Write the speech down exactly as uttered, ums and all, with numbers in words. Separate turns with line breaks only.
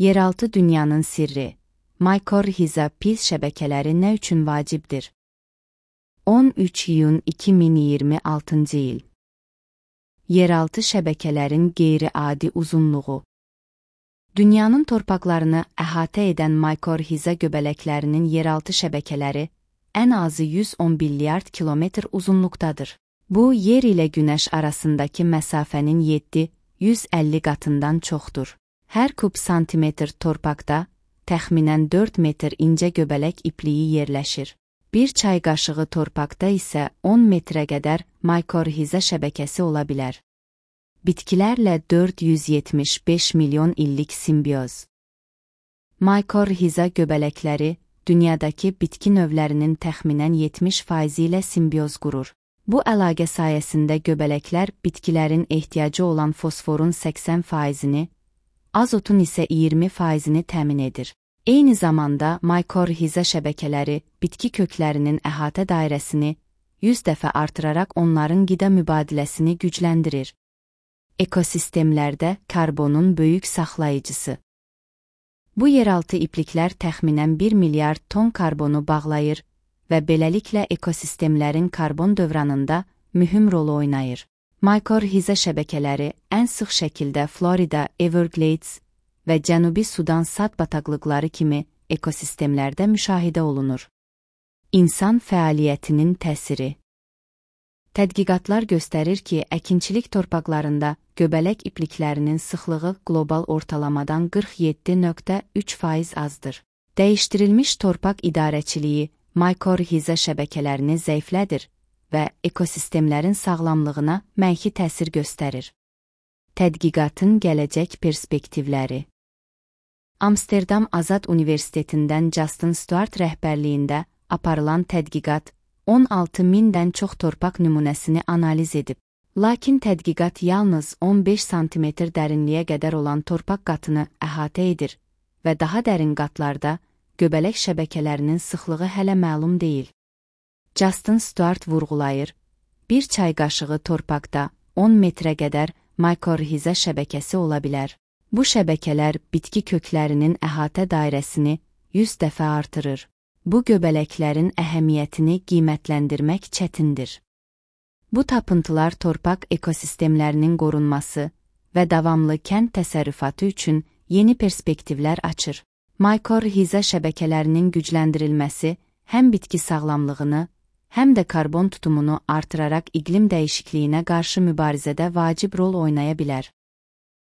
Yeraltı dünyanın sirri. Mykorrhiza pis şəbəkələri nə üçün vacibdir? on üç iyun iki min iyirmi altıncı il. Yeraltı şəbəkələrin qeyri-adi uzunluğu. Dünyanın torpaqlarını əhatə edən Mykorrhiza göbələklərinin yeraltı şəbəkələri ən azı yüz on milyard kilometr uzunluqdadır. Bu, yer ilə Günəş arasındakı məsafənin yeddi yüz əlli qatından çoxdur. Hər kub santimetr torpaqda təxminən dörd metr incə göbələk ipliyi yerləşir. Bir çay qaşığı torpaqda isə on metrə qədər Mykorrhiza şəbəkəsi ola bilər. Bitkilərlə dörd yüz yetmiş beş milyon illik simbioz. Mykorrhiza göbələkləri dünyadakı bitki növlərinin təxminən yetmiş faizi ilə simbioz qurur. Bu əlaqə sayəsində göbələklər bitkilərin ehtiyacı olan fosforun səksən faizini, azotun isə iyirmi faizini təmin edir. Eyni zamanda Mykorrhiza şəbəkələri bitki köklərinin əhatə dairəsini yüz dəfə artıraraq onların qida mübadiləsini gücləndirir. Ekosistemlərdə karbonun böyük saxlayıcısı. Bu yeraltı ipliklər təxminən bir milyard ton karbonu bağlayır və beləliklə ekosistemlərin karbon dövranında mühüm rol oynayır. Mykorrhiza şəbəkələri ən sıx şəkildə Florida, Everglades və Cənubi Sudan sad bataqlıqları kimi ekosistemlərdə müşahidə olunur. İnsan fəaliyyətinin təsiri. Tədqiqatlar göstərir ki, əkinçilik torpaqlarında göbələk ipliklərinin sıxlığı qlobal ortalamadan qırx yeddi nöqtə üç faiz azdır. Dəyişdirilmiş torpaq idarəçiliyi Mykorrhiza şəbəkələrini zəiflədir və ekosistemlərin sağlamlığına mənfi təsir göstərir. Tədqiqatın gələcək perspektivləri. Amsterdam Azad Universitetindən Justin Stuart rəhbərliyində aparılan tədqiqat on altı mindən çox torpaq nümunəsini analiz edib. Lakin tədqiqat yalnız on beş santimetr dərinliyə qədər olan torpaq qatını əhatə edir və daha dərin qatlarda göbələk şəbəkələrinin sıxlığı hələ məlum deyil. Justin Stuart vurğulayır, bir çay qaşığı torpaqda on metrə qədər Mykorrhiza şəbəkəsi ola bilər. Bu şəbəkələr bitki köklərinin əhatə dairəsini yüz dəfə artırır. Bu göbələklərin əhəmiyyətini qiymətləndirmək çətindir. Bu tapıntılar torpaq ekosistemlərinin qorunması və davamlı kənd təsərrüfatı üçün yeni perspektivlər açır. Mykorrhiza şəbəkələrinin gücləndirilməsi həm bitki sağlamlığını, həm də karbon tutumunu artıraraq iqlim dəyişikliyinə qarşı mübarizədə vacib rol oynaya bilər.